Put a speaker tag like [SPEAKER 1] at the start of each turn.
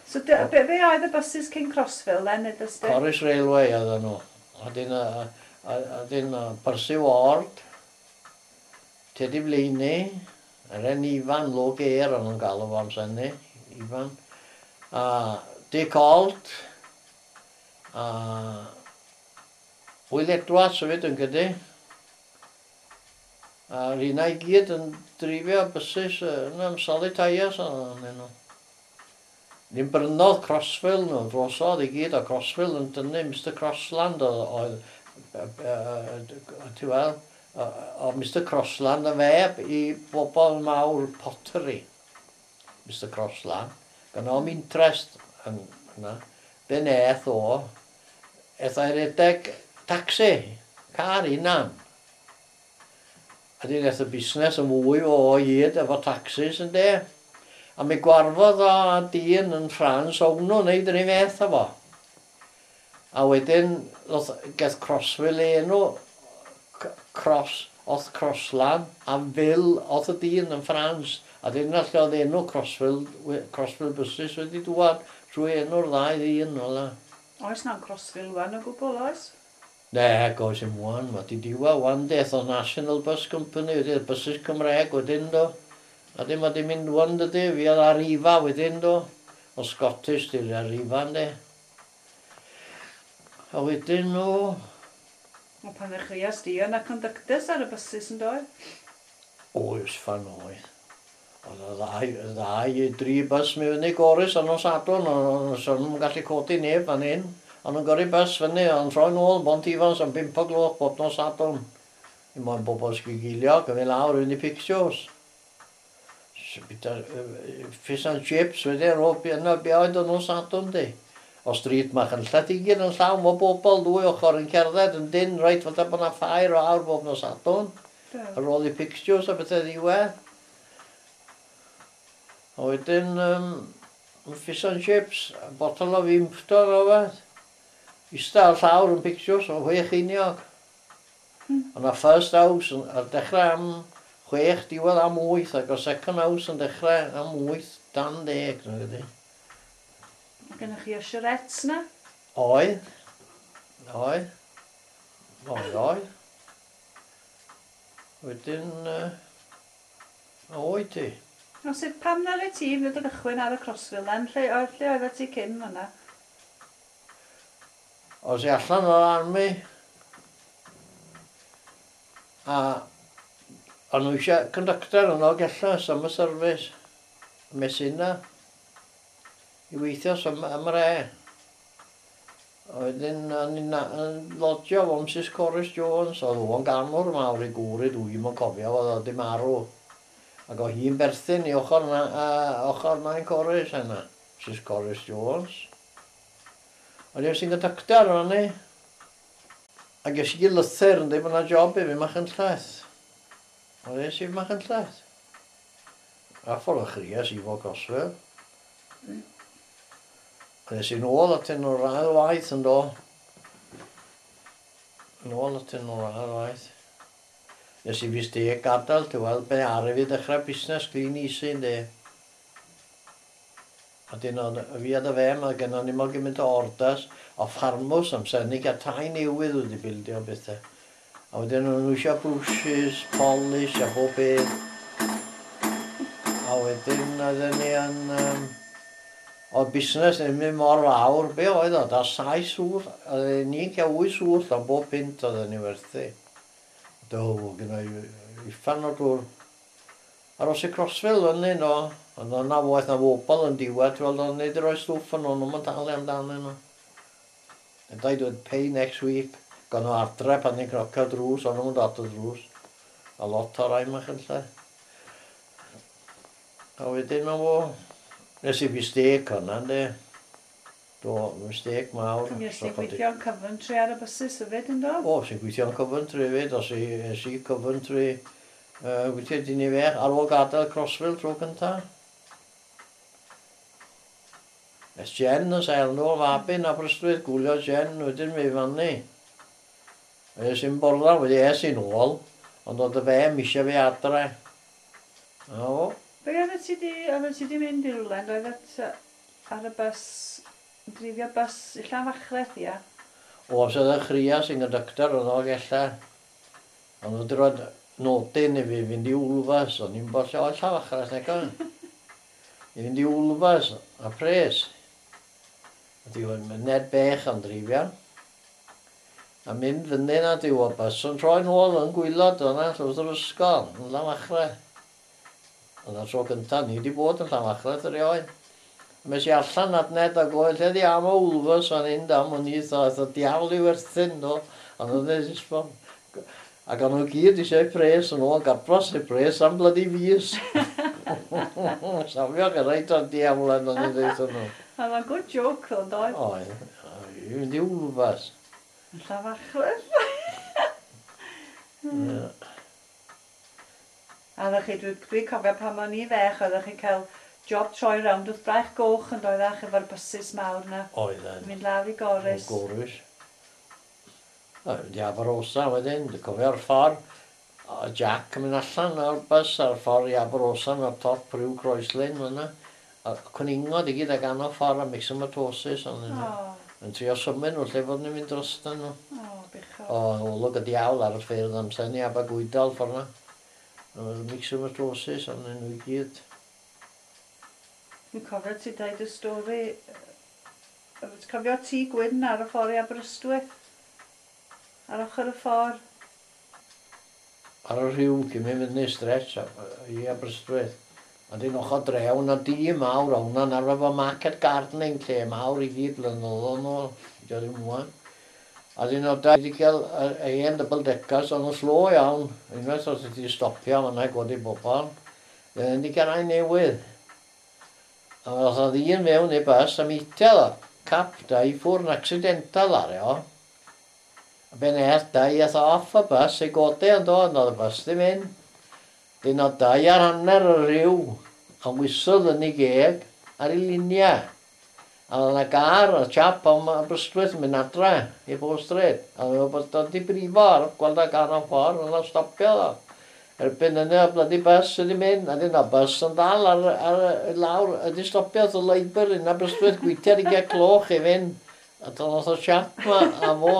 [SPEAKER 1] So be oedd y buses cyn Crosville then, ydys di?
[SPEAKER 2] Corris Railway oedden nhw. A dyn, a dyn Percy Ward, Teddy Blaney, yr hen Ifan, Low Gear o'n nhw'n galw fo amser hynny, Ifan. A Dick Ault, a Will Edwards hefyd yn gyda. A rheina i gyd yn dreifio buses yn am solid tyres o'n nhw. Ni'n brynodd Crosville nhw drosodd i gyd, a Crosville yn dynnu Mr Crossland oedd, ti weld, o Mr Crossland yn feb i bobl mawr pottery. Mr Crossland. Gan o'm interest yn yna. Be neth o, eth o'i redeg taxi, car hunan. A dyn eth y busnes yn fwy o hyd efo taxis yn de. A mi gwarfodd o a dyn yn Ffrans o wnnw'n neud yr un fath â fo. A wedyn ddoth, geth Crosville ei enw, Cross, oth Crossland, a Ville oth y dyn yn Ffrans. A dyna lle oedd enw Crosville, Crosville Buses wedi dŵad trwy enw'r ddau ddyn fel 'na.
[SPEAKER 1] Oes na'm Crosville 'wan o gwbl, oes?
[SPEAKER 2] Nag oes dim ŵan, ma' 'di diwedd ŵan de, ath o National Bus Company wedyn, buses Cymreg wedyn do. A dim ma' 'di mynd ŵan dydi, fuodd Arriva wedyn do, o Scottish 'di'r Arriva ynde. A wedyn o...
[SPEAKER 1] Wel pan ddechreuas di, oedd 'na conductors ar y buses yn doedd?
[SPEAKER 2] Oes, ffan oedd. Oedd y ddau, y ddau i dri bus mi fyny Gorris ar nos Sadwrn, ond so nhw'n gallu codi neb fan hyn. O'n nhw'n gyrru bus fyny, ond troi nôl yn Bont Ifans am 5 o gloch bob nos Sadwrn. Dim ond bobl sgigiliog yn mynd lawr i fynd i pictures. Bita fish and chips wedyn ar ôl yna be oedd o nos Sadwrn di. O stryd Machynlleth i gyd yn llawn o bobl, ddwy ochr yn cerdded yn dyn, reit fatha bod 'na ffair o awr bob nos Sadwrn. Ar ôl i pictures a bethau ddiwedd. A wedyn fish and chips, a bottle o Vimto o rywbeth. Ista ar llawr yn pictures o 6 cheiniog. O'na first house yn, ar dechrau am 6, diwedd am 8, ac o second house yn dechrau am 8 dan 10, dwi'n credu.
[SPEAKER 1] Mae gennych chi usherettes na?
[SPEAKER 2] Oedd. Oedd. Oedd, oedd. Wedyn, a oedd ti?
[SPEAKER 1] O sut, pam ddaru ti fynd o gychwyn ar y Crosville then? Lle, oedd, lle oeddet ti cyn fan'na?
[SPEAKER 2] Os i allan o'r army, a o'n nhw eisiau conductor yn Dolgellau, summer service, Messina, i weithio am yr e. A wedyn o'n i'n yn lodgio efo Mrs Corris Jones, oedd o'n ganwr mawr ei gŵr i, dwi'm yn cofio, oedd o 'di marw. Ac oedd hi'n berthyn i ochr na, ochr Nain Corris yna, Mrs Corris Jones. Ond es i'n conductor o'n i. A ges i lythyr yn dweud bod 'na job i fi Machynlleth. Ond es i Machynlleth. A ffordd o chries i fo Crosville. Es i nôl atyn nhw'r ail waith yn do. Nôl atyn nhw'r ail waith. Nes i mistake gadael, ti weld, be ar i fi ddechrau busnes clean easy yndi. A dyn o'n, fi a dy fem, a gennon ni mor gymaint o orders, o ffarmwrs amser ni gael tai newydd wedi bildio bethau. A wedyn o'n nhw eisiau brwshys, polish a bob peth. A wedyn oedden ni yn... Oedd busnes ddim yn mor fawr, be oedd o, da 7 swllt, oedden ni'n cael 8 swllt am bob punt oedden ni'n werthu. Do, gyda i uffern o dŵr. Aros i Crosville fyny no, ond oedd na waeth na bobl yn diwedd, ti'n weld, o'n ni wedi rhoi stwff yn nhw, nhw'n talu amdanyn nhw. And I dweud pay next week. Gawn nhw adre pan ni'n cnocio drws, o'n nhw'n dod y drws. A lot o rai Machynlleth. A wedyn o, nes i mistake hwnna, ynddi. Do, mistake mawr.
[SPEAKER 1] Nes ti gweithio yn Coventry ar y buses hefyd, yndo?
[SPEAKER 2] O, sy'n gweithio yn Coventry hefyd, os i, es i Coventry, gweithio dyn ni fech, ar ôl gadael Crosville tro cyntaf. Es Jen yn sel nôl mab yn Aberystwyth, gwylio Jen, wedyn mi fyny. Es i'n borla, wedi es i'n ôl, ond oedd y fem eisiau fi adre. A o.
[SPEAKER 1] Be oeddet ti di, oeddet ti di mynd i rywle, oeddet... ar y bus, yn dreifio bus i Llanfachreth, ia?
[SPEAKER 2] O, amser ddechreuas i'n conductor yn Dolgellau, o'n nhw wedi rhoi nodyn i fi fynd i Wlfas, o'n i'n bod lle oedd Llanfachreth nag oedd. I fynd i Wlfas a pres. A di oedd Ned Bech yn dreifio. A mynd fyny na di o bus yn troi nôl yn gwylod o'na wrth yr ysgol yn Llanfachreth. O'na tro cyntaf ni wedi bod yn Llanfachreth erioed. A mes i allan at Ned a gofyn lle di am o Wlfas fan hyn da, mwyn i aeth y diawl i werthyn do. Ond oedd e jyst Ac o'n nhw gyd eisiau pres yn ôl, gabros eu pres am bloody fus. Safio reit o'r diawl yn o'n i'n dweud nhw.
[SPEAKER 1] Oedd o'n good joke ddo, doedd?
[SPEAKER 2] Oedd. I fynd i Wlfas.
[SPEAKER 1] Yn Llanfachreth.
[SPEAKER 2] Ie.
[SPEAKER 1] A oeddech chi, dwi'n dwi cofio pan o'n i fech, oeddech chi'n cael job troi rownd wrth Braich Goch yn doeddach efo'r bysus mawr na.
[SPEAKER 2] Oedden.
[SPEAKER 1] Mynd lawr i Gorris.
[SPEAKER 2] Gorris. Mynd i Aberosa wedyn, dwi'n cofio'r ffordd. O, Jack yn mynd allan o'r bus ar ffordd i Aberosa o'r top rhyw croeslin fyna. A cwningod i gyd ag anno ffordd a myxomatosis ond nhw.
[SPEAKER 1] O,
[SPEAKER 2] Yn trio symud nhw lle fod nhw'n mynd drostyn nhw.
[SPEAKER 1] o, bechod.
[SPEAKER 2] O, olwg y diawl ar y ffyrdd amser ni Abergwydol ffordd na. Oedd myxomatosis ond nhw i gyd.
[SPEAKER 1] Dwi'n cofio ti dweud y stori, ti'n cofio tŷ gwyn ar y ffordd i Aberystwyth? Ar ochr y ffordd.
[SPEAKER 2] Ar y rhyw cyn mynd fyny stretch i Aberystwyth. A dyn ochr dre, hwnna di mawr, a hwnna'n arfer fo market gardening lle mawr i gyd blynyddoedd nôl, dio ddim ŵan. A dyn o da wedi cael y hen double deckers, ond nhw'n slo iawn. Unwaith os wedi stopio, fan'na i godi bobl. Dyn wedi cael rai newydd. A oedd o ddyn mewn i'r bus a meetio ddo. Cap da i ffwrdd yn accidental ar e o. A ben eth da i ath off y bus i godi yn do, ond oedd y bus ddim yn. Dyn o 2.5 y rhyw, a whistle yn ei geg ar ei luniau. A oedd yna gar, y chap am Aberystwyth yn mynd adre i Bow Street. A oedd o'n bod o'n di brifo ar gweld y gar o'n ffordd, oedd o'n stopio ddo. Erbyn yna, y bloody bus wedi mynd, a dyn o bus yn dal ar y lawr, ydi stopio wrth y Labour yn Aberystwyth, gweithio i gael cloch i fynd. A dyna oedd y chap ma, a fo,